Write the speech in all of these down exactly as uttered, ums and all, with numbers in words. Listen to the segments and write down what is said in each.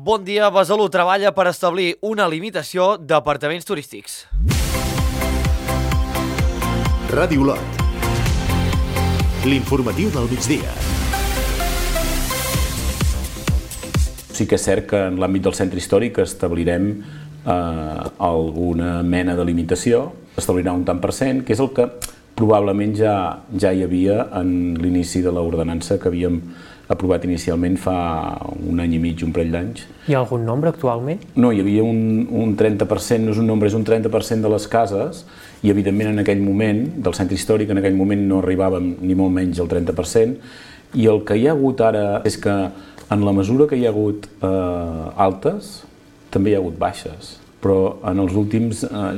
Bon dia, Besalú treballa per establir una limitació d'apartaments turístics. Ràdio Lot. L'informatiu del migdia. Sí que és cert que en l'àmbit del centre històric establirem eh, alguna mena de limitació, establirà un tant per cent, que és el que probablement ja, ja hi havia en l'inici de l'ordenança que havíem aprovat inicialment fa un any i mig, un parell d'anys. Hi ha algun nombre actualment? No, hi havia un, un trenta per cent, no és un nombre, és un trenta per cent de les cases i evidentment en aquell moment, del centre històric, en aquell moment no arribàvem ni molt menys al trenta per cent i el que hi ha hagut ara és que en la mesura que hi ha hagut eh, altes, també hi ha hagut baixes. Però en els últims eh,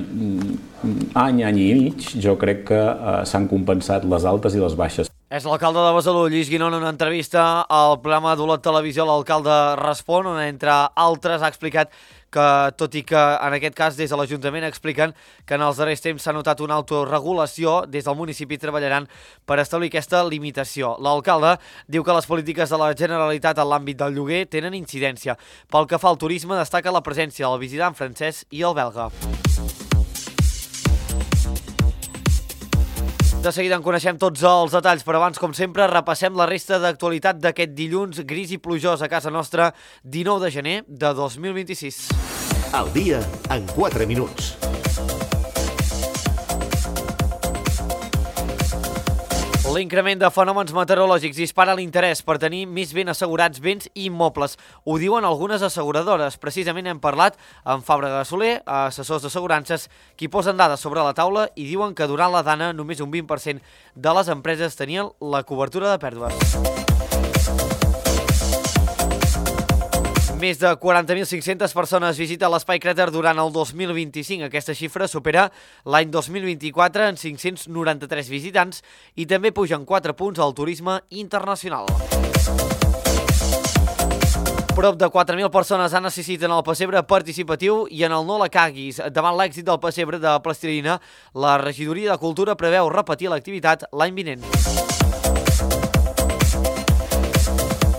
any, any i mig, jo crec que eh, s'han compensat les altes i les baixes. És l'alcalde de Besalú, Lluís Guinó, en una entrevista al programa d'Olot Televisió, l'alcalde respon, on entre altres ha explicat que, tot i que en aquest cas des de l'Ajuntament expliquen que en els darrers temps s'ha notat una autorregulació, des del municipi treballaran per establir aquesta limitació. L'alcalde diu que les polítiques de la Generalitat en l'àmbit del lloguer tenen incidència. Pel que fa al turisme, destaca la presència del visitant francès i el belga. De seguida en coneixem tots els detalls, però abans, com sempre, repassem la resta d'actualitat d'aquest dilluns gris i plujós a casa nostra, dinou de gener de dos mil vint-i-sis. Al dia en quatre minuts. L'increment de fenòmens meteorològics dispara l'interès per tenir més ben assegurats béns i immobles. Ho diuen algunes asseguradores. Precisament hem parlat amb Fàbrega Soler, assessors d'assegurances, qui posen dades sobre la taula i diuen que durant la dana només un vint per cent de les empreses tenien la cobertura de pèrdues. Més de quaranta mil cinc-centes persones visiten l'Espai Cràter durant el dos mil vint-i-cinc. Aquesta xifra supera l'any dos mil vint-i-quatre en cinc-cents noranta-tres visitants i també pugen quatre punts al turisme internacional. Prop de quatre mil persones han assistit en el pessebre participatiu i en el No la caguis. Davant l'èxit del pessebre de plastilina, la regidoria de Cultura preveu repetir l'activitat l'any vinent.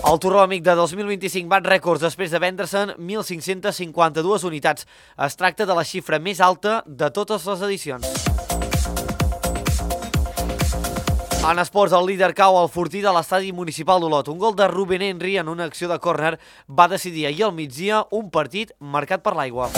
El Torró Amic de dos mil vint-i-cinc bat rècords després de vendre-se'n mil cinc-cents cinquanta-dues unitats. Es tracta de la xifra més alta de totes les edicions. En esports, el líder cau al fortí de l'estadi municipal d'Olot. Un gol de Rubén Henry en una acció de córner va decidir ahir al migdia un partit marcat per l'aigua.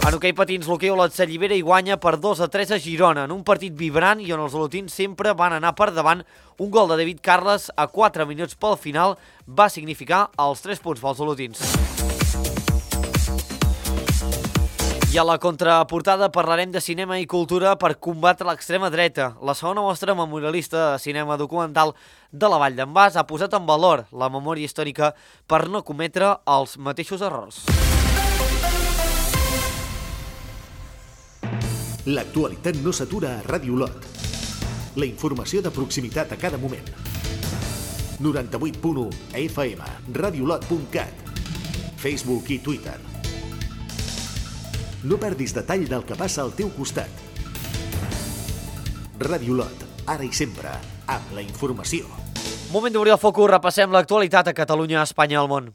En hoquei patins, l'hoquei Olot s'allibera i guanya per dos a tres a Girona, en un partit vibrant i on els olotins sempre van anar per davant. Un gol de David Carles a quatre minuts pel final va significar els tres punts pels olotins. I a la contraportada parlarem de cinema i cultura per combatre l'extrema dreta. La segona mostra memorialista de cinema documental de la Vall d'en Bas ha posat en valor la memòria històrica per no cometre els mateixos errors. L'actualitat no s'atura a Ràdio Lot. La informació de proximitat a cada moment. noranta-vuit punt u F M, radiolot punt cat, Facebook i Twitter. No perdis detall del que passa al teu costat. Ràdio Lot, ara i sempre, amb la informació. Moment d'obrir el focus, repassem l'actualitat a Catalunya, Espanya i al món.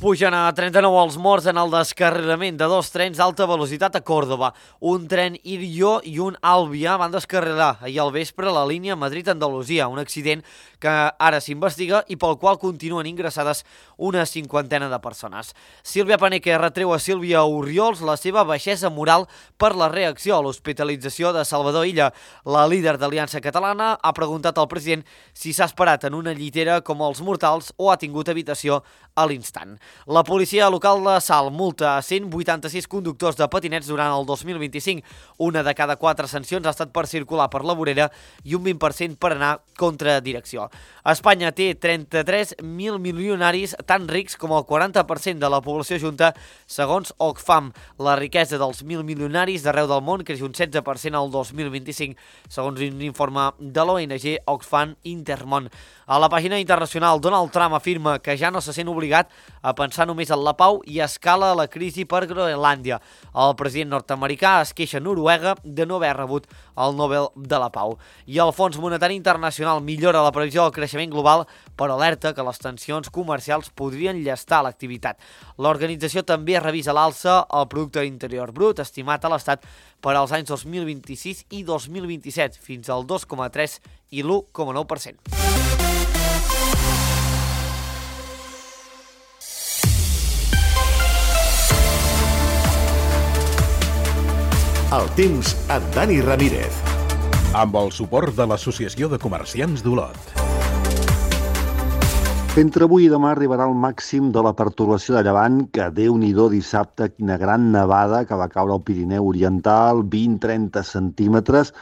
Pugen a trenta-nou els morts en el descarrilament de dos trens d'alta velocitat a Còrdova. Un tren Irio i un Albia van descarrilar ahir al vespre a la línia Madrid-Andalusia, un accident que ara s'investiga i pel qual continuen ingressades una cinquantena de persones. Sílvia Paneque retreu a Sílvia Oriols la seva baixesa moral per la reacció a l'hospitalització de Salvador Illa. La líder d'Aliança Catalana ha preguntat al president si s'ha esperat en una llitera com els mortals o ha tingut habitació a l'instant. La policia local de Salt multa a cent vuitanta-sis conductors de patinets durant el dos mil vint-i-cinc. Una de cada quatre sancions ha estat per circular per la vorera i un vint per cent per anar contra direcció. Espanya té trenta-tres mil milionaris, tan rics com el quaranta per cent de la població junta, segons Oxfam. La riquesa dels mil milionaris d'arreu del món creix un setze per cent al dos mil vint-i-cinc, segons un informe de l'O N G Oxfam Intermón. A la pàgina internacional, Donald Trump afirma que ja no se sent obligat a pensar només en la pau i escala la crisi per Groenlàndia. El president nord-americà es queixa a Noruega de no haver rebut el Nobel de la Pau. I el Fons Monetari Internacional millora la previsió del creixement global, però alerta que les tensions comercials podrien llestar l'activitat. L'organització també revisa a l'alça el producte interior brut estimat a l'Estat per als anys dos mil vint-i-sis i dos mil vint-i-set, fins al dos coma tres i l'u coma nou per cent. El temps amb Dani Ramírez. Amb el suport de l'Associació de Comerciants d'Olot. Entre avui i demà arribarà el màxim de la pertorbació de llevant, que Déu-n'hi-do dissabte, quina gran nevada que va caure al Pirineu Oriental, vint a trenta centímetres,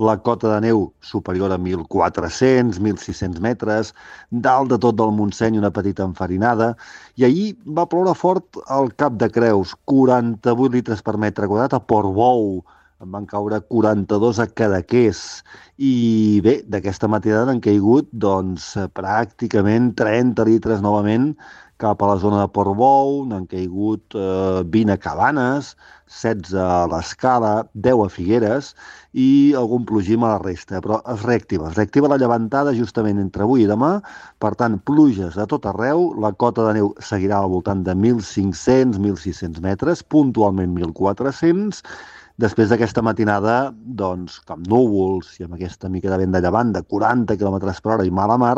la cota de neu superior a mil quatre-cents, mil sis-cents metres, dalt de tot del Montseny una petita enfarinada, i ahir va ploure fort al Cap de Creus, quaranta-vuit litres per metre quadrat a Portbou, en van caure quaranta-dos a Cadaqués, i bé, d'aquesta matinada han caigut doncs, pràcticament trenta litres novament cap a la zona de Portbou, n'han caigut eh, vint a Cabanes, setze a l'Escala, deu a Figueres i algun plogim a la resta, però es reactiva, es reactiva la llevantada justament entre avui i demà, per tant, pluges a tot arreu, la cota de neu seguirà al voltant de mil cinc-cents a mil sis-cents metres, puntualment mil quatre-cents. Després d'aquesta matinada, doncs, amb núvols i amb aquesta mica de vent de llevant de quaranta quilòmetres per hora i mala mar,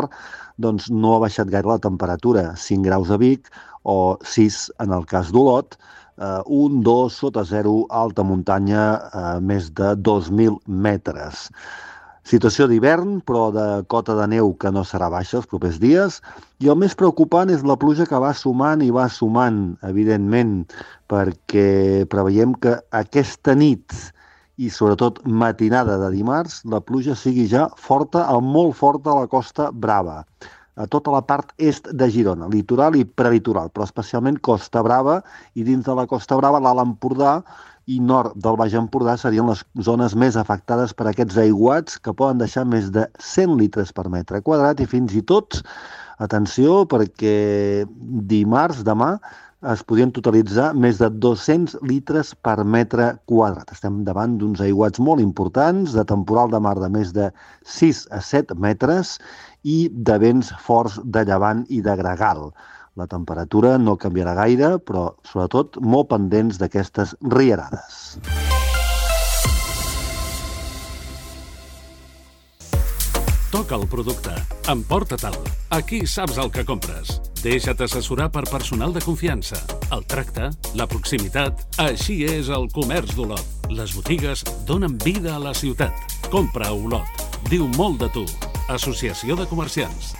doncs no ha baixat gaire la temperatura, cinc graus a Vic o sis en el cas d'Olot, eh, un, dos sota zero, alta muntanya, eh, més de dos mil metres. Situació d'hivern, però de cota de neu que no serà baixa els propers dies. I el més preocupant és la pluja que va sumant i va sumant, evidentment, perquè preveiem que aquesta nit i sobretot matinada de dimarts, la pluja sigui ja forta, o molt forta a la Costa Brava, a tota la part est de Girona, litoral i prelitoral, però especialment Costa Brava, i dins de la Costa Brava, l'Alt Empordà i nord del Baix Empordà serien les zones més afectades per aquests aiguats que poden deixar més de cent litres per metre quadrat i fins i tot, atenció, perquè dimarts, demà, es podien totalitzar més de dos-cents litres per metre quadrat. Estem davant d'uns aiguats molt importants, de temporal de mar de més de sis a set metres i de vents forts de llevant i de gregal. La temperatura no canviarà gaire, però sobretot molt pendents d'aquestes rierades. Toca el producte. Emporta-te'l. Aquí saps el que compres. Deixa't assessorar per personal de confiança. El tracte, la proximitat... Així és el comerç d'Olot. Les botigues donen vida a la ciutat. Compra a Olot. Diu molt de tu. Associació de Comerciants.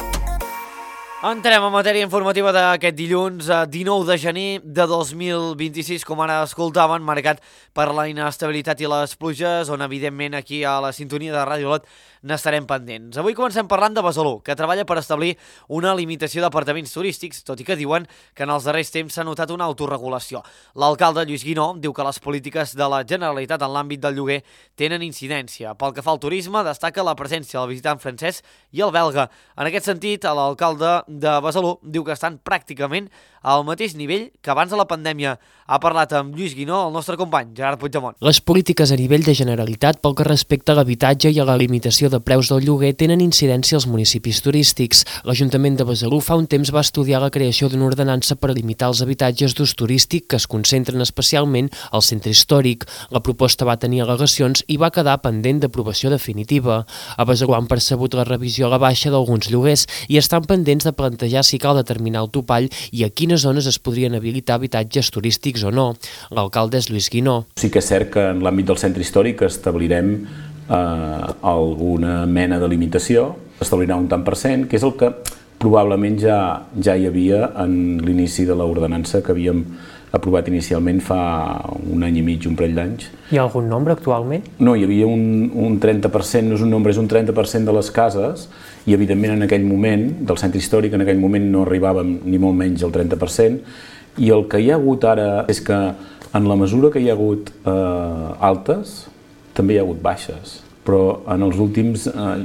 Entrem a matèria informativa d'aquest dilluns, dinou de gener de dos mil vint-i-sis, com ara escoltaven, marcat per la inestabilitat i les pluges, on evidentment aquí a la sintonia de Ràdio Olot n'estarem pendents. Avui comencem parlant de Besalú, que treballa per establir una limitació d'apartaments turístics, tot i que diuen que en els darrers temps s'ha notat una autorregulació. L'alcalde Lluís Guinó diu que les polítiques de la Generalitat en l'àmbit del lloguer tenen incidència. Pel que fa al turisme, destaca la presència del visitant francès i el belga. En aquest sentit, l'alcalde de Besalú diu que estan pràcticament al mateix nivell que abans de la pandèmia. Ha parlat amb Lluís Guinó, el nostre company, Gerard Puigdemont. Les polítiques a nivell de Generalitat pel que respecta a l'habitatge i a la limitació de preus del lloguer tenen incidència als municipis turístics. L'Ajuntament de Besalú fa un temps va estudiar la creació d'una ordenança per limitar els habitatges d'ús turístic que es concentren especialment al centre històric. La proposta va tenir al·legacions i va quedar pendent d'aprovació definitiva. A Besalú han percebut la revisió a la baixa d'alguns lloguers i estan pendents de plantejar si cal determinar el topall i a quines zones es podrien habilitar habitatges turístics o no. L'alcalde és Lluís Guinó. Sí que és cert que en l'àmbit del centre històric establirem eh, alguna mena de limitació, establirà un tant per cent, que és el que probablement ja, ja hi havia en l'inici de l'ordenança que havíem aprovat inicialment fa un any i mig, un parell d'anys. Hi ha algun nombre actualment? No, hi havia un, un trenta per cent, no és un nombre, és un trenta per cent de les cases, i evidentment en aquell moment, del centre històric, en aquell moment no arribàvem ni molt menys al trenta per cent, i el que hi ha hagut ara és que en la mesura que hi ha hagut eh, altes, també hi ha hagut baixes. Però en els últims eh,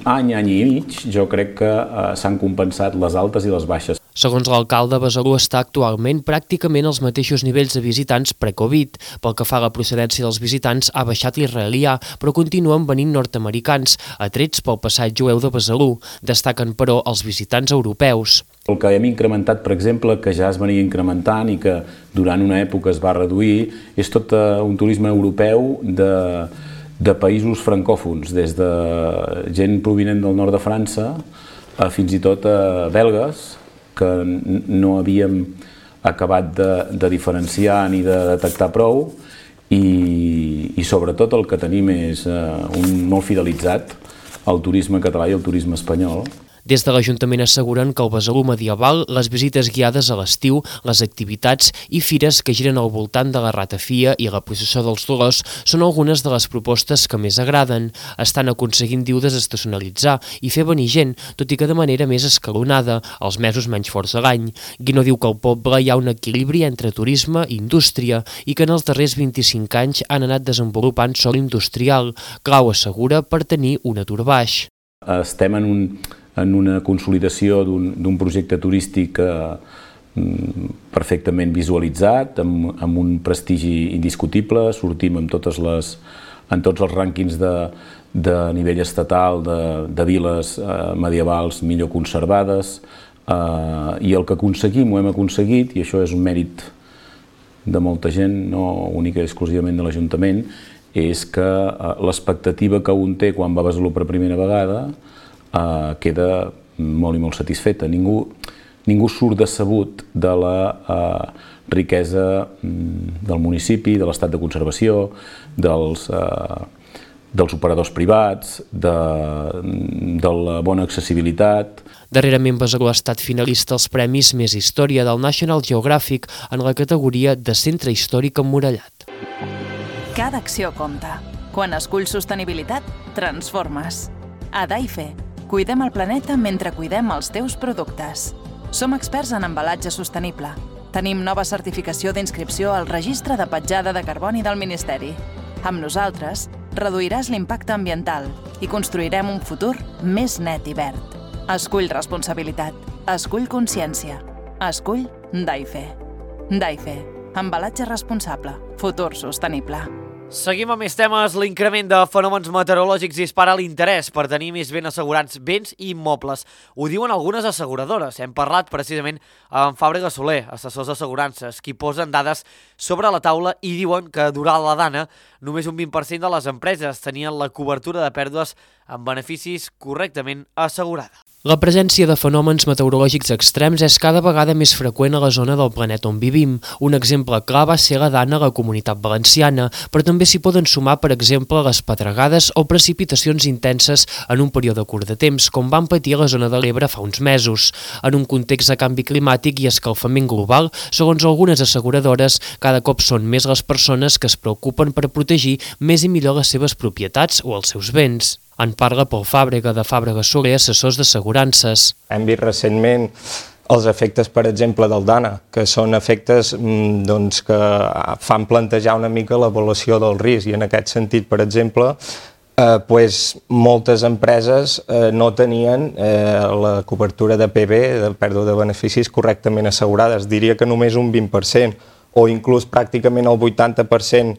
any, any i mig, jo crec que eh, s'han compensat les altes i les baixes. Segons l'alcalde, Besalú està actualment pràcticament als mateixos nivells de visitants pre-Covid. Pel que fa a la procedència dels visitants, ha baixat l'israelià, però continuen venint nord-americans, atrets pel passat jueu de Besalú. Destaquen, però, els visitants europeus. El que hem incrementat, per exemple, que ja es venia incrementant i que durant una època es va reduir, és tot un turisme europeu de, de països francòfons, des de gent provinent del nord de França a fins i tot a belgues, que no havíem acabat de, de diferenciar ni de detectar prou i, i sobretot el que tenim és uh, un molt fidelitzat al turisme català i al turisme espanyol. Des de l'Ajuntament asseguren que el Besalú medieval, les visites guiades a l'estiu, les activitats i fires que giren al voltant de la ratafia i la processó dels Dolors són algunes de les propostes que més agraden. Estan aconseguint, diu, desestacionalitzar i fer venir gent, tot i que de manera més escalonada, els mesos menys forts de l'any. Guino diu que al poble hi ha un equilibri entre turisme i indústria i que en els darrers vint-i-cinc anys han anat desenvolupant sòl industrial, clau assegura per tenir un atur baix. Estem en un en una consolidació d'un projecte turístic eh, perfectament visualitzat, amb, amb un prestigi indiscutible, sortim en, totes les, en tots els rànquings de, de nivell estatal de, de viles eh, medievals millor conservades, eh, i el que aconseguim, ho hem aconseguit, i això és un mèrit de molta gent, no única i exclusivament de l'Ajuntament, és que eh, l'expectativa que un té quan va a Besalú per primera vegada Uh, queda molt i molt satisfeta. Ningú, ningú surt decebut de la uh, riquesa um, del municipi, de l'estat de conservació, dels, uh, dels operadors privats, de, de la bona accessibilitat. Darrerament Besalú ha estat finalista als Premis Més Història del National Geographic en la categoria de Centre Històric Emmurallat. Cada acció compta. Quan esculls sostenibilitat, transformes. A Daife, cuidem el planeta mentre cuidem els teus productes. Som experts en embalatge sostenible. Tenim nova certificació d'inscripció al Registre de Petjada de Carboni del Ministeri. Amb nosaltres, reduiràs l'impacte ambiental i construirem un futur més net i verd. Escull responsabilitat. Escull consciència. Escull Daife. Daife. Embalatge responsable. Futur sostenible. Seguim amb més temes. L'increment de fenòmens meteorològics dispara l'interès per tenir més ben assegurats béns i immobles. Ho diuen algunes asseguradores. Hem parlat precisament amb Fàbrega Soler, assessors d'assegurances, qui posen dades sobre la taula i diuen que durant la Dana només un vint per cent de les empreses tenien la cobertura de pèrdues amb beneficis correctament assegurada. La presència de fenòmens meteorològics extrems és cada vegada més freqüent a la zona del planeta on vivim. Un exemple clar va ser la Dana a la Comunitat Valenciana, però també s'hi poden sumar, per exemple, les pedregades o precipitacions intenses en un període curt de temps, com van patir a la zona de l'Ebre fa uns mesos. En un context de canvi climàtic i escalfament global, segons algunes asseguradores, cada cop són més les persones que es preocupen per protegir més i millor les seves propietats o els seus béns. En parla Pol Fàbrega, de Fàbrega Soler, assessors d'assegurances. Hem vist recentment els efectes, per exemple, del Dana, que són efectes doncs, que fan plantejar una mica l'avaluació del risc, i en aquest sentit, per exemple, eh, pues, moltes empreses eh, no tenien eh, la cobertura de P B, de pèrdua de beneficis, correctament assegurades. Diria que només un vint per cent, o inclús pràcticament el vuitanta per cent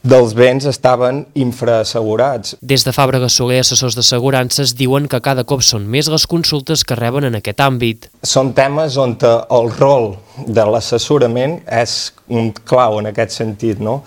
dels béns estaven infraassegurats. Des de Fàbrega Soler, assessors d'assegurances diuen que cada cop són més les consultes que reben en aquest àmbit. Són temes on el rol de l'assessorament és un clau en aquest sentit, no?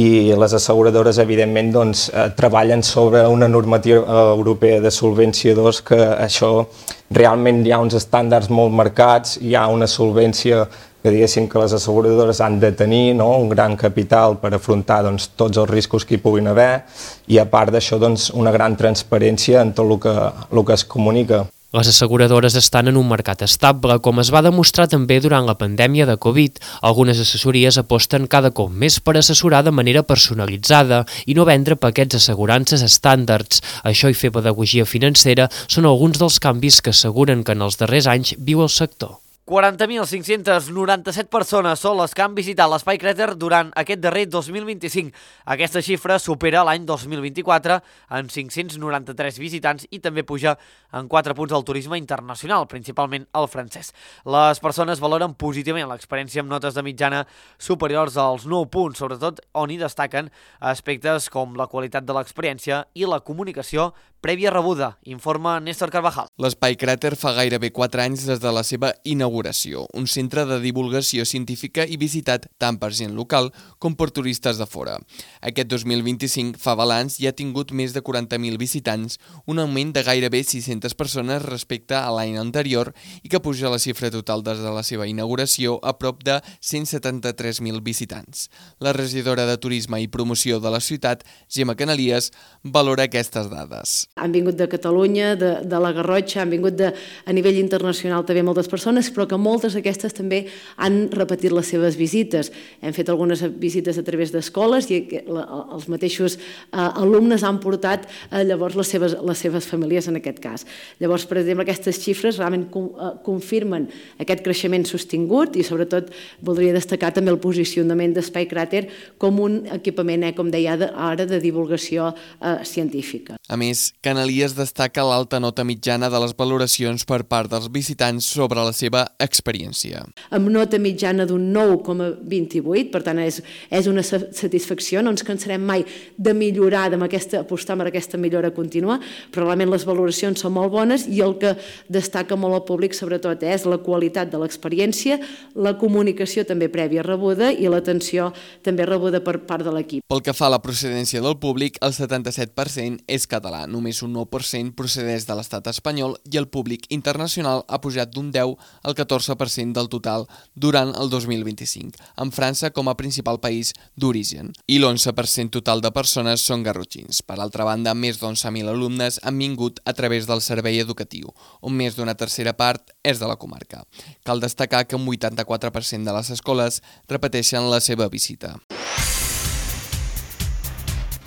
I les asseguradores, evidentment, doncs, treballen sobre una normativa europea de solvència dos, que això realment hi ha uns estàndards molt marcats, hi ha una solvència que diguéssim que les asseguradores han de tenir, no? Un gran capital per afrontar doncs, tots els riscos que hi puguin haver, i a part d'això doncs, una gran transparència en tot el que, el que es comunica. Les asseguradores estan en un mercat estable, com es va demostrar també durant la pandèmia de Covid. Algunes assessories aposten cada cop més per assessorar de manera personalitzada i no vendre paquets d'assegurances estàndards. Això i fer pedagogia financera són alguns dels canvis que asseguren que en els darrers anys viu el sector. quaranta mil cinc-centes noranta-set persones són les que han visitat l'Espai Cràter durant aquest darrer dos mil vint-i-cinc. Aquesta xifra supera l'any dos mil vint-i-quatre en cinc-cents noranta-tres visitants i també puja en quatre punts al turisme internacional, principalment el francès. Les persones valoren positivament l'experiència amb notes de mitjana superiors als nou punts, sobretot on hi destaquen aspectes com la qualitat de l'experiència i la comunicació prèvia rebuda, informa Néstor Carvajal. L'Espai Cràter fa gairebé quatre anys des de la seva inauguració, un centre de divulgació científica i visitat tant per gent local com per turistes de fora. Aquest dos mil vint-i-cinc fa balanç i ha tingut més de quaranta mil visitants, un augment de gairebé sis-centes persones respecte a l'any anterior i que puja la xifra total des de la seva inauguració a prop de cent setanta-tres mil visitants. La regidora de Turisme i Promoció de la ciutat, Gemma Canalies, valora aquestes dades. Han vingut de Catalunya, de, de la Garrotxa, han vingut de, a nivell internacional també moltes persones, però que moltes d'aquestes també han repetit les seves visites. Hem fet algunes visites a través d'escoles i la, els mateixos eh, alumnes han portat eh, llavors les seves, les seves famílies en aquest cas. Llavors, per exemple, aquestes xifres realment com, eh, confirmen aquest creixement sostingut i sobretot voldria destacar també el posicionament d'Espai Cràter com un equipament, eh, com deia ara, de divulgació eh, científica. A més, Canalies destaca l'alta nota mitjana de les valoracions per part dels visitants sobre la seva experiència. Amb nota mitjana d'un nou coma vint-i-vuit, per tant és, és una satisfacció, no ens cansarem mai de millorar, d'apostar per aquesta millora contínua, però realment les valoracions són molt bones i el que destaca molt al públic sobretot és la qualitat de l'experiència, la comunicació també prèvia rebuda i l'atenció també rebuda per part de l'equip. Pel que fa a la procedència del públic, el setanta-set per cent és català, només un nou per cent procedeix de l'estat espanyol i el públic internacional ha pujat d'un deu al catorze per cent del total durant el dos mil vint-i-cinc, amb França com a principal país d'origen. I l'onze per cent total de persones són garrotxins. Per altra banda, més d'onze mil alumnes han vingut a través del servei educatiu, on més d'una tercera part és de la comarca. Cal destacar que un vuitanta-quatre per cent de les escoles repeteixen la seva visita.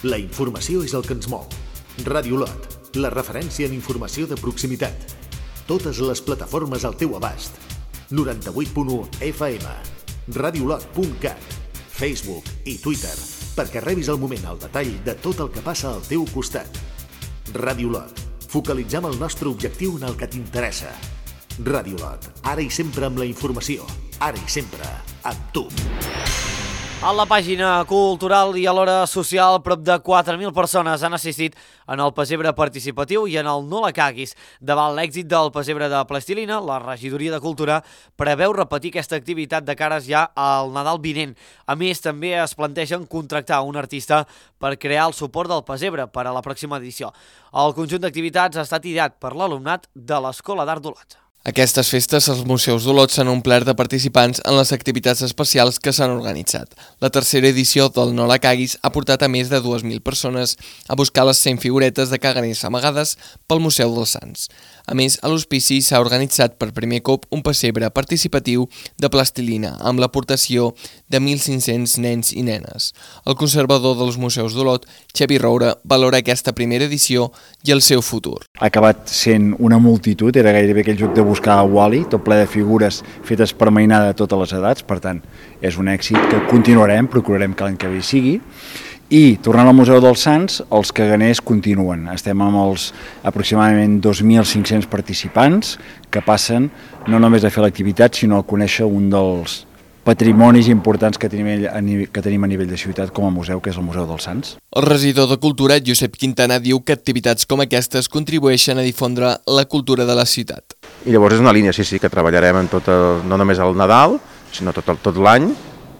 La informació és el que ens mou. Ràdio Lot, la referència en informació de proximitat. Totes les plataformes al teu abast. noranta-vuit punt u F M, radiolot punt cat, Facebook i Twitter, perquè rebis al moment el detall de tot el que passa al teu costat. Ràdio Lot, focalitzem el nostre objectiu en el que t'interessa. Ràdio Lot, ara i sempre amb la informació, ara i sempre amb tu. A la pàgina cultural i alhora social, prop de quatre mil persones han assistit en el pessebre participatiu i en el No la caguis. Davant l'èxit del pessebre de plastilina, la regidoria de Cultura preveu repetir aquesta activitat de cares ja al Nadal vinent. A més, també es plantegen contractar un artista per crear el suport del pessebre per a la pròxima edició. El conjunt d'activitats ha estat ideat per l'alumnat de l'Escola d'Art d'Olot. Aquestes festes als museus d'Olot s'han omplert de participants en les activitats especials que s'han organitzat. La tercera edició del No la caguis ha portat a més de dues mil persones a buscar les cent figuretes de caganers amagades pel Museu dels Sants. A més, a l'hospici s'ha organitzat per primer cop un pessebre participatiu de plastilina amb l'aportació de mil cinc-cents nens i nenes. El conservador dels museus d'Olot, Xavi Roura, valora aquesta primera edició i el seu futur. Ha acabat sent una multitud, era gairebé aquell joc de buscar a Wall-E, tot ple de figures fetes per mainada de totes les edats, per tant, és un èxit que continuarem, procurarem que l'any que ve hi sigui. I, tornant al Museu dels Sants, els caganers continuen. Estem amb els aproximadament dos mil cinc-cents participants que passen no només a fer l'activitat, sinó a conèixer un dels patrimonis importants que tenim, que tenim a nivell de ciutat com a museu, que és el Museu dels Sants. El regidor de Cultura, Josep Quintana, diu que activitats com aquestes contribueixen a difondre la cultura de la ciutat. I llavors és una línia, sí, sí, que treballarem en tot el, no només al Nadal, sinó tot, el, tot l'any,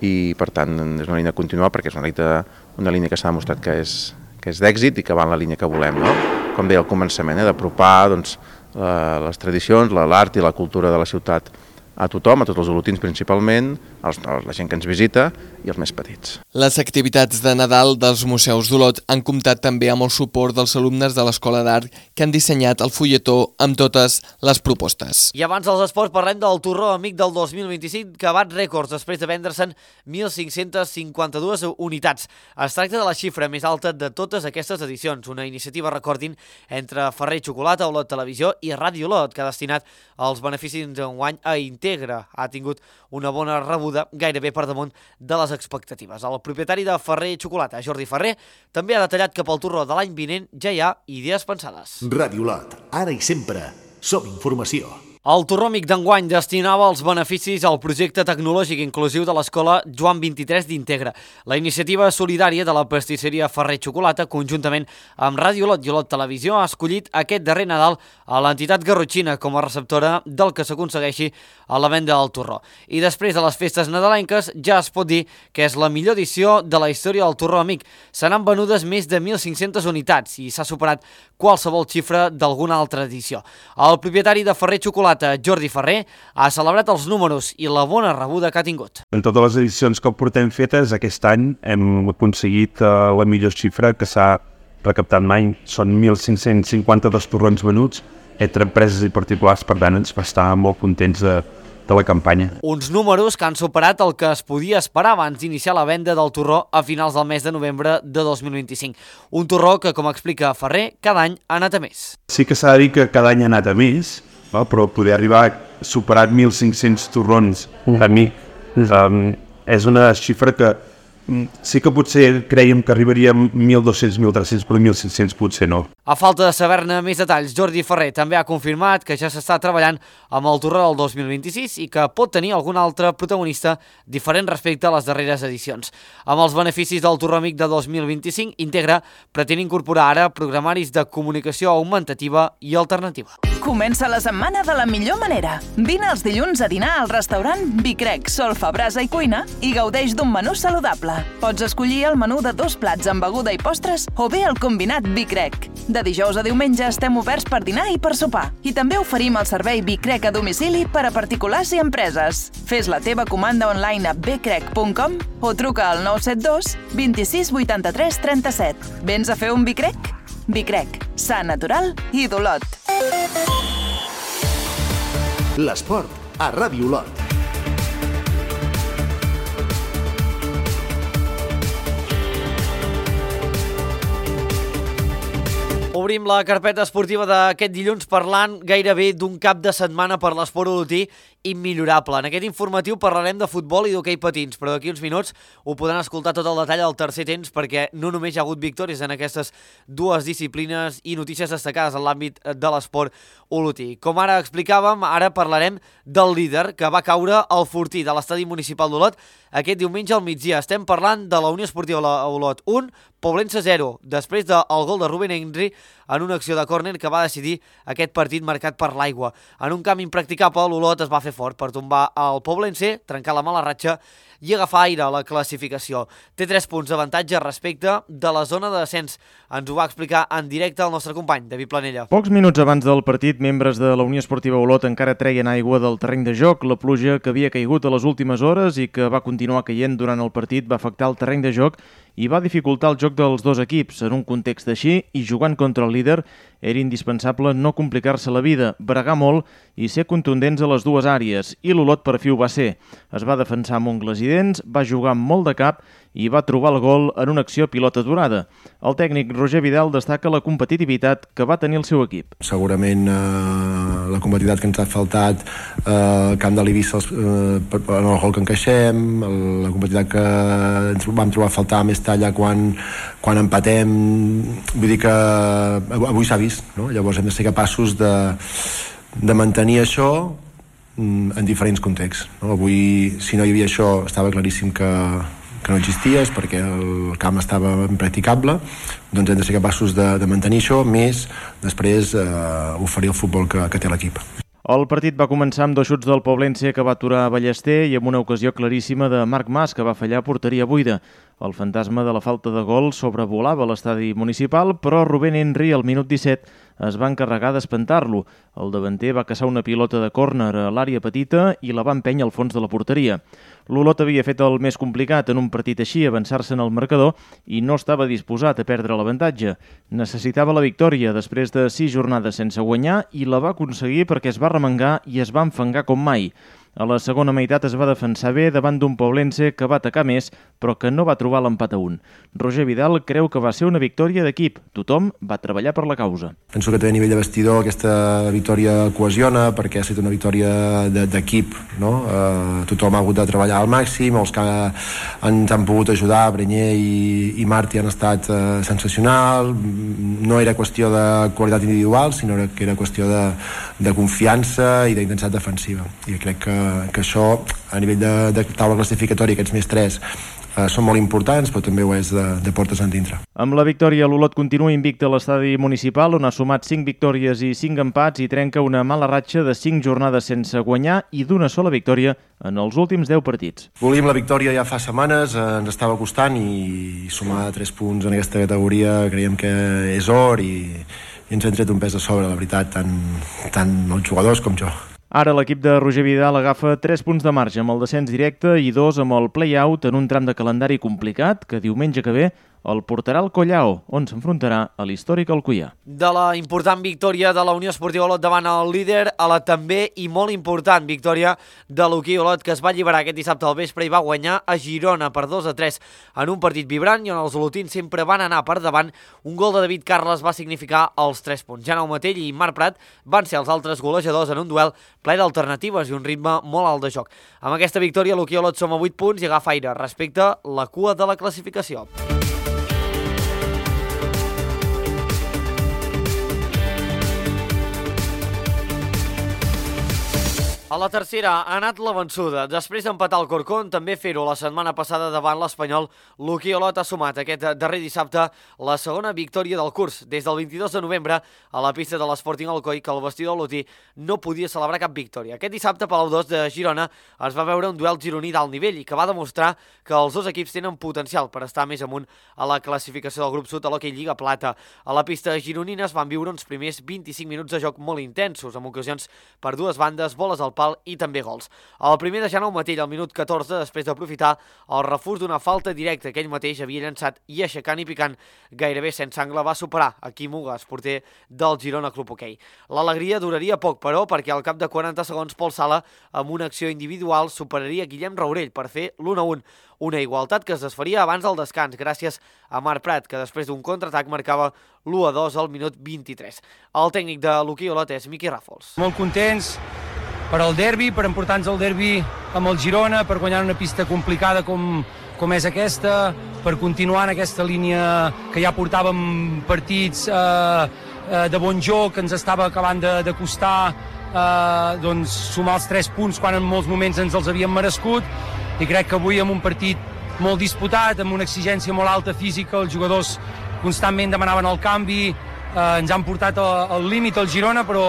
i per tant és una línia continuada perquè és una línia, una línia que s'ha demostrat que és, que és d'èxit i que va en la línia que volem, no? Com deia al començament, eh, d'apropar doncs, les tradicions, l'art i la cultura de la ciutat a tothom, a tots els olotins principalment, els, la gent que ens visita i els més petits. Les activitats de Nadal dels museus d'Olot han comptat també amb el suport dels alumnes de l'Escola d'Art que han dissenyat el fulletó amb totes les propostes. I abans dels esports parlem del Torró Amic del dos mil vint-i-cinc que bat rècords després de vendre-se'n mil cinc-cents cinquanta-dues unitats. Es tracta de la xifra més alta de totes aquestes edicions, una iniciativa, recordin, entre Ferrer i Xocolata, Olot Televisió i Ràdio Olot, que ha destinat els beneficis d'enguany a Integra ha tingut una bona rebuda, gairebé per damunt de les expectatives. El propietari de Ferrer Xocolata, Jordi Ferrer, també ha detallat que pel torró de l'any vinent ja hi ha idees pensades. Ràdio Lot, ara i sempre, som informació. El torró amic d'enguany destinava els beneficis al projecte tecnològic inclusiu de l'escola Joan vint-i-tres d'Integra. La iniciativa solidària de la pastisseria Ferrer Xocolata, conjuntament amb Ràdio Lot i Olot Televisió, ha escollit aquest darrer Nadal a l'entitat garrotxina com a receptora del que s'aconsegueixi a la venda del torró. I després de les festes nadalenques ja es pot dir que és la millor edició de la història del torró amic. Se n'han venudes més de mil cinc-centes unitats i s'ha superat qualsevol xifra d'alguna altra edició. El propietari de Ferrer Xocolata, Jordi Ferrer, ha celebrat els números i la bona rebuda que ha tingut. En totes les edicions que portem fetes, aquest any hem aconseguit uh, la millor xifra que s'ha recaptat mai. Són mil cinc-cents cinquanta-dos torrons venuts entre empreses i particulars, per tant ens va estar molt contents de, de la campanya. Uns números que han superat el que es podia esperar abans d'iniciar la venda del torró a finals del mes de novembre de dos mil vint-i-cinc. Un torró que, com explica Ferrer, cada any ha anat a més. Sí que s'ha de dir que cada any ha anat a més, però poder arribar a superar mil cinc-cents torrons a mi um, és una xifra que um, sí que potser creiem que arribaríem mil dos-cents, mil tres-cents, però mil cinc-cents potser no. A falta de saber-ne més detalls, Jordi Ferrer també ha confirmat que ja s'està treballant amb el torró del dos mil vint-i-sis i que pot tenir algun altre protagonista diferent respecte a les darreres edicions. Amb els beneficis del torró amic de dos mil vint-i-cinc, Integra pretén incorporar ara programaris de comunicació augmentativa i alternativa. Comença la setmana de la millor manera. Vine els dilluns a dinar al restaurant Vicrec, Solfa, Brasa i Cuina i gaudeix d'un menú saludable. Pots escollir el menú de dos plats amb beguda i postres o bé el combinat Vicrec. De dijous a diumenge estem oberts per dinar i per sopar. I també oferim el servei Vicrec a domicili per a particulars i empreses. Fes la teva comanda online a becrec punt com o truca al nou set dos vint-i-sis vuitanta-tres trenta-set. Vens a fer un Vicrec? Vicrec, sa, natural i d'Olot. L'esport a Ràdio Lot. Obrim la carpeta esportiva d'aquest dilluns parlant gairebé d'un cap de setmana per l'esport olotí immillorable. En aquest informatiu parlarem de futbol i d'hoquei patins, però d'aquí uns minuts ho podran escoltar tot el detall al tercer temps perquè no només hi ha hagut victòries en aquestes dues disciplines i notícies destacades en l'àmbit de l'esport olotí. Com ara explicàvem, ara parlarem del líder que va caure al fortí de l'estadi municipal d'Olot aquest diumenge al migdia. Estem parlant de la Unió Esportiva Olot un, Poblense zero, després del gol de Rubén Henry en una acció de córner que va decidir aquest partit marcat per l'aigua. En un camp impracticable, l'Olot es va fer fort per tombar el Poblense, trencar la mala ratxa i agafar aire a la classificació. Té tres punts d'avantatge respecte de la zona de descens. Ens ho va explicar en directe el nostre company, David Planella. Pocs minuts abans del partit, membres de la Unió Esportiva Olot encara treien aigua del terreny de joc. La pluja que havia caigut a les últimes hores i que va continuar caient durant el partit va afectar el terreny de joc i va dificultar el joc dels dos equips. En un context així, i jugant contra el líder, era indispensable no complicar-se la vida, bregar molt i ser contundents a les dues àrees, i l'Olot per fi ho va ser. Es va defensar amb ungles i dents, va jugar amb molt de cap i va trobar el gol en una acció pilota aturada. El tècnic Roger Vidal destaca la competitivitat que va tenir el seu equip. Segurament eh, la competitivitat que ens ha faltat eh, al camp de l'Eivissa eh, en el gol que encaixem, la competitivitat que ens vam trobar a faltar més talla quan, quan empatem, vull dir que avui s'ha vist, no? Llavors hem de ser capaços de, de mantenir això en diferents contexts, no? Avui, si no hi havia això, estava claríssim que que no existia, és perquè el camp estava impracticable, doncs hem de ser capaços de, de mantenir això, més després eh, oferir el futbol que, que té l'equip. El partit va començar amb dos xuts del Poblense que va aturar Ballester i amb una ocasió claríssima de Marc Mas que va fallar a porteria buida. El fantasma de la falta de gol sobrevolava l'estadi municipal, però Rubén Henry al minut disset es va encarregar d'espantar-lo. El davanter va caçar una pilota de córner a l'àrea petita i la va empènyer al fons de la porteria. L'Olot havia fet el més complicat en un partit així, avançar-se en el marcador, i no estava disposat a perdre l'avantatge. Necessitava la victòria després de sis jornades sense guanyar i la va aconseguir perquè es va remengar i es va enfangar com mai. A la segona meitat es va defensar bé davant d'un Poblense que va atacar més, però que no va trobar l'empat a un. Roger Vidal creu que va ser una victòria d'equip. Tothom va treballar per la causa. Penso que també a nivell de vestidor aquesta victòria cohesiona perquè ha estat una victòria d'equip, no? Eh, tothom ha hagut de treballar al màxim, els que ens han pogut ajudar, Brenyer i, i Martí, han estat eh, sensacional. No era qüestió de qualitat individual, sinó que era qüestió de, de confiança i d'intensitat defensiva. I crec que, que això, a nivell de, de taula classificatòria, aquests més tres, eh, són molt importants, però també ho és de, de portes endintre. Amb la victòria, l'Olot continua invicte a l'estadi municipal, on ha sumat cinc victòries i cinc empats i trenca una mala ratxa de cinc jornades sense guanyar i d'una sola victòria en els últims deu partits. Volíem la victòria ja fa setmanes, eh, ens estava costant i sumar tres punts en aquesta categoria creiem que és or i, i ens hem tret un pes de sobre, la veritat, tant, tant els jugadors com jo. Ara l'equip de Roger Vidal agafa tres punts de marge amb el descens directe i dos amb el play-out en un tram de calendari complicat que diumenge que ve el portarà al Collao, on s'enfrontarà a l'històric Alcoià. De la important victòria de la Unió Esportiva Olot davant el líder a la també i molt important victòria de l'Hoquei Olot, que es va alliberar aquest dissabte al vespre i va guanyar a Girona per dos a tres en un partit vibrant i on els olotins sempre van anar per davant. Un gol de David Carles va significar els tres punts. Jaume Matell i Marc Prat van ser els altres golejadors en un duel ple d'alternatives i un ritme molt alt de joc. Amb aquesta victòria l'Hoquei Olot som a vuit punts i agafa aire respecte a la cua de la classificació. A la tercera ha anat la vençuda. Després d'empatar el Corcón, també fer-ho la setmana passada davant l'Espanyol, l'Hoquei Olot ha sumat aquest darrer dissabte la segona victòria del curs. Des del vint-i-dos de novembre, a la pista de l'Sporting Alcoi, que el vestidor olotí no podia celebrar cap victòria. Aquest dissabte, Palau dos de Girona es va veure un duel gironí d'alt nivell i que va demostrar que els dos equips tenen potencial per estar més amunt a la classificació del grup sud a l'Hoquei Lliga Plata. A la pista gironina es van viure uns primers vint-i-cinc minuts de joc molt intensos, amb ocasions per dues bandes, boles al pal i també gols. El primer de Jaume Matell al minut catorze, després d'aprofitar el refús d'una falta directa que ell mateix havia llançat i aixecant i picant gairebé sense angle va superar a Quim Ugas, porter del Girona Club Hoquei. L'alegria duraria poc, però, perquè al cap de quaranta segons Pol Sala, amb una acció individual, superaria Guillem Raurell per fer l'u a un. Una igualtat que es desfaria abans del descans, gràcies a Marc Prat, que després d'un contraatac marcava l'u a dos al minut vint-i-tres. El tècnic de l'Hoquei Olot és Miqui Ràfols. Molt contents per al derbi, per emportar-nos el derbi amb el Girona, per guanyar una pista complicada com, com és aquesta, per continuar en aquesta línia que ja portàvem partits eh, eh, de bon joc, que ens estava acabant de, de costar eh, doncs, sumar els tres punts quan en molts moments ens els havíem merescut, i crec que avui amb un partit molt disputat, amb una exigència molt alta física, els jugadors constantment demanaven el canvi, eh, ens han portat al límit el Girona, però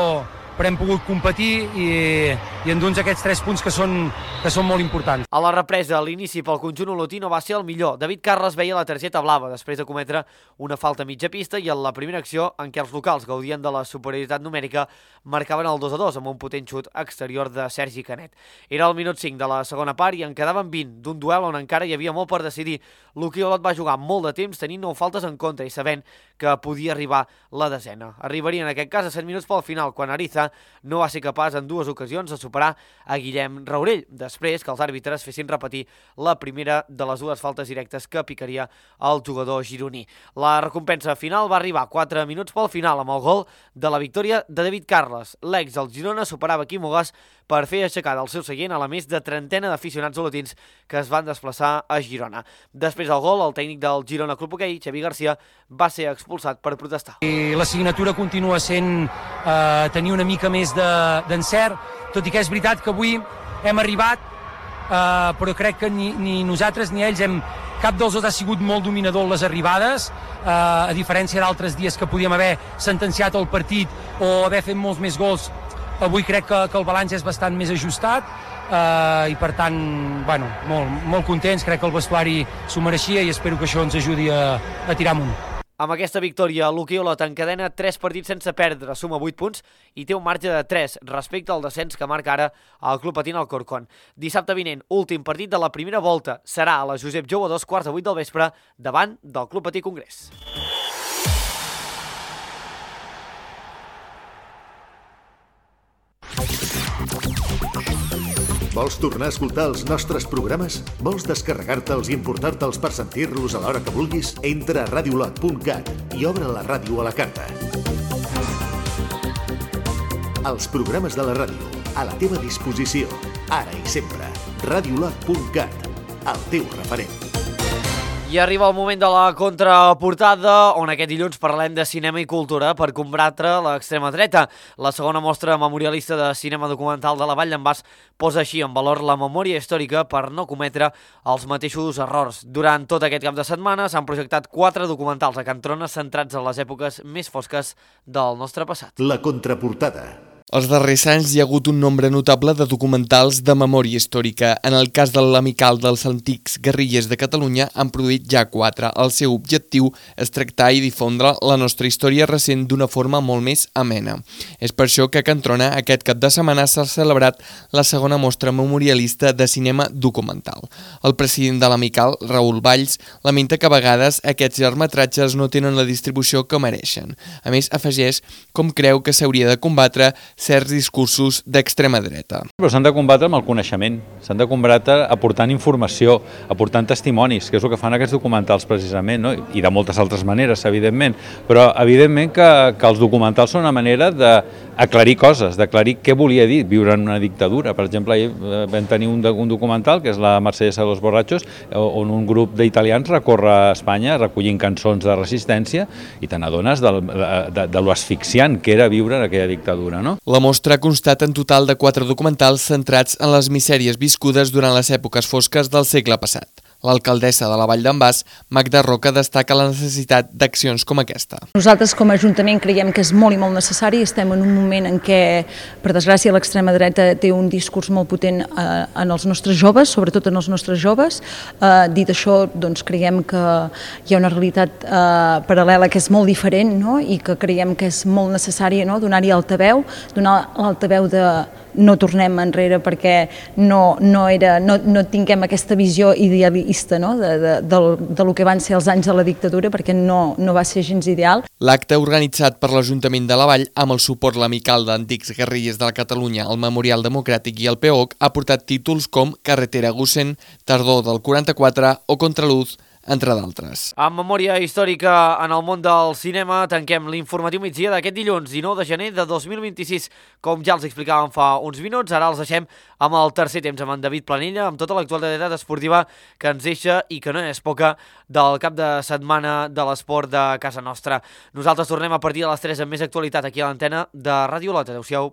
però hem pogut competir i, i endur-nos aquests tres punts que són, que són molt importants. A la represa, l'inici pel conjunt olotí no va ser el millor. David Carles veia la targeta blava després de cometre una falta a mitja pista i en la primera acció en què els locals gaudien de la superioritat numèrica marcaven el dos a dos amb un potent xut exterior de Sergi Canet. Era el minut cinc de la segona part i en quedaven vint d'un duel on encara hi havia molt per decidir. L'Hoquei Olot va jugar molt de temps tenint nou faltes en contra i sabent que podia arribar la desena. Arribaria en aquest cas a set minuts pel final, quan Ariza no va ser capaç en dues ocasions de superar a Guillem Raurell, després que els àrbitres fessin repetir la primera de les dues faltes directes que picaria el jugador gironí. La recompensa final va arribar quatre minuts pel final amb el gol de la victòria de David Carles. L'ex del Girona superava Quim Ugas per fer aixecar del seu seient a la més de trentena d'aficionats olotins que es van desplaçar a Girona. Després del gol, el tècnic del Girona Club Hoquei, Xavi Garcia, va ser expulsat per protestar. I la signatura continua sent eh, tenir una mica més d'encert, de, tot i que és veritat que avui hem arribat, eh, però crec que ni, ni nosaltres ni ells hem, cap dels dos ha sigut molt dominador en les arribades, eh, a diferència d'altres dies que podíem haver sentenciat el partit o haver fet molts més gols. Avui crec que, que el balanç és bastant més ajustat eh, i per tant, bueno, molt, molt contents, crec que el vestuari s'ho mereixia i espero que això ens ajudi a, a tirar amunt. Amb aquesta victòria, l'Hoquei Olot encadena tres partits sense perdre, suma vuit punts i té un marge de tres respecte al descens que marca ara el Club Patint Alcorcón. Dissabte vinent, últim partit de la primera volta, serà a la Josep Jou a dos quarts de vuit del vespre davant del Club Patí Congrés. Vols tornar a escoltar els nostres programes? Vols descarregar-te'ls i importar-te'ls per sentir-los a l'hora que vulguis? Entra a radiolot punt cat i obre la ràdio a la carta. Els programes de la ràdio, a la teva disposició, ara i sempre. radiolot punt cat, el teu referent. I arriba el moment de la contraportada, on aquest dilluns parlem de cinema i cultura per combatre l'extrema dreta. La segona mostra memorialista de cinema documental de la Vall d'en Bas posa així en valor la memòria històrica per no cometre els mateixos errors. Durant tot aquest cap de setmana s'han projectat quatre documentals a Can Trona centrats en les èpoques més fosques del nostre passat. La contraportada. Els darrers anys hi ha hagut un nombre notable de documentals de memòria històrica. En el cas de l'Amical dels Antics Guerrillers de Catalunya han produït ja quatre. El seu objectiu és tractar i difondre la nostra història recent d'una forma molt més amena. És per això que a Can Trona aquest cap de setmana s'ha celebrat la segona mostra memorialista de cinema documental. El president de l'Amical, Raül Valls, lamenta que a vegades aquests llargmetratges no tenen la distribució que mereixen. A més, afegeix com creu que s'hauria de combatre certs discursos d'extrema dreta. Però s'han de combatre amb el coneixement, s'han de combatre aportant informació, aportant testimonis, que és el que fan aquests documentals precisament, no? I de moltes altres maneres, evidentment, però evidentment que, que els documentals són una manera d'aclarir coses, d'aclarir què volia dir viure en una dictadura. Per exemple, ahir vam tenir un, un documental, que és la Marsellesa de los Borrachos, on un grup d'italians recorre a Espanya recollint cançons de resistència i te n'adones de, de, de, de lo asfixiant que era viure en aquella dictadura, no? La mostra ha constat en total de quatre documentals centrats en les misèries viscudes durant les èpoques fosques del segle passat. L'alcaldessa de la Vall d'en Bas, Magda Roca, destaca la necessitat d'accions com aquesta. Nosaltres com a Ajuntament creiem que és molt i molt necessari. Estem en un moment en què, per desgràcia, l'extrema dreta té un discurs molt potent eh, en els nostres joves, sobretot en els nostres joves. Eh, dit això, doncs, creiem que hi ha una realitat eh, paral·lela que és molt diferent, no? I que creiem que és molt necessari, no? Donar-hi altaveu, donar l'altaveu de no tornem enrere perquè no, no, era, no, no tinguem aquesta visió idealista, no? de, de, de, de lo que van ser els anys de la dictadura, perquè no, no va ser gens ideal. L'acte organitzat per l'Ajuntament de la Vall amb el suport l'Amical d'Antics Guerrillers de la Catalunya, el Memorial Democràtic i el P O C ha portat títols com Carretera Gusen, Tardor del quaranta-quatre o Contraluz, entre d'altres. En memòria històrica en el món del cinema tanquem l'informatiu migdia d'aquest dilluns dinou de gener de dos mil vint-i-sis. Com ja els explicàvem fa uns minuts, ara els deixem amb el tercer temps amb en David Planella, amb tota l'actualitat esportiva que ens deixa i que no és poca del cap de setmana de l'esport de casa nostra. Nosaltres tornem a partir de les tres amb més actualitat aquí a l'antena de Ràdio Lot. Adéu-siau.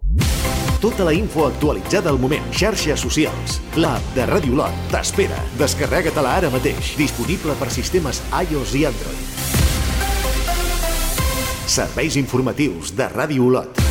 Tota la info actualitzada al moment. Xarxes socials. L'app de Ràdio Lot t'espera. Descarrega-te-la ara mateix. Disponible per sistemes iOS i Android. Serveis informatius de Ràdio Lot.